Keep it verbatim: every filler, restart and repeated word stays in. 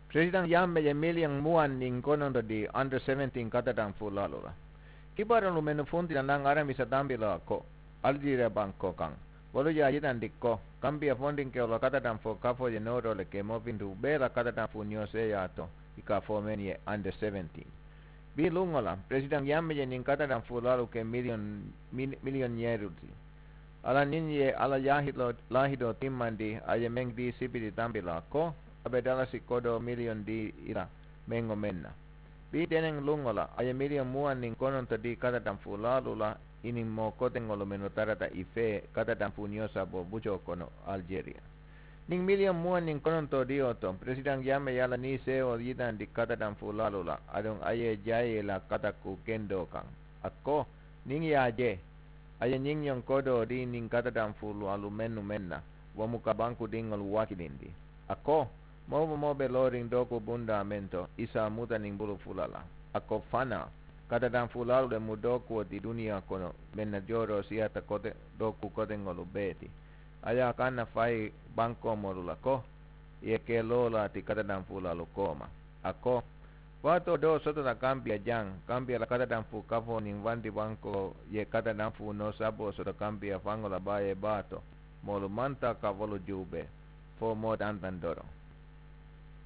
Presiden yame ye milion muwan nin kononto di under seventeen katatanfu lalu la. Kibaron lumen funti la nan aramisa tambi la ko aljira banko kan. Wolu ya yitan di ko kambia fondin ke wolo katatanfu kafo ye noro le ke mofintu bela katatanfu nio se ya to ika fomen ye under seventeen. Bi lungo la presiden yame ye nin katatanfu lalu ke milion, milion yeruti. Ala nin ye ala yahilo lahido timmandi a ye men di sipiti tambi la ko a be dalasi kodo milion di ila mengo menna. Bi tenen lungo la a ye milion muwan nin kononto di katatanfu lalu la inin mo kotengo lumeno tarata ife katatanfu nio sabo bujo kono aljeria. Nin milion muwan nin kononto di oto presiden yame ye ala ni seo yitandi katatanfu lalu la adon a ye jaye la kataku kendo kan. A ko nin ya je a ye ñiŋ ñoŋ kodo di niŋ katatanfu lalu mennu menna wo mu ka banku diŋolu wakilindi. A ko moo wo moo be looriŋ dooku bundaa men to isa muta niŋ bulu fula la. A ko fanaa katatanfu lalu le mu dookuwo ti duniya kono men na jooroo siyata kote dooku koteŋolu bee ti. A ye a kaŋ na fayi bankoo moolu la ko i ye ke loo la ti katatanfu lalu kooma. A ko waatoo doo sotota kambiya jaŋ kambiya la katatanfu kafoo niŋ wandi bankoo ye katatanfu noo saboo soto kambiya faŋo la baa ye baa to moolu maŋ taa ka wolu juubee fo moo tantaŋ doroŋ.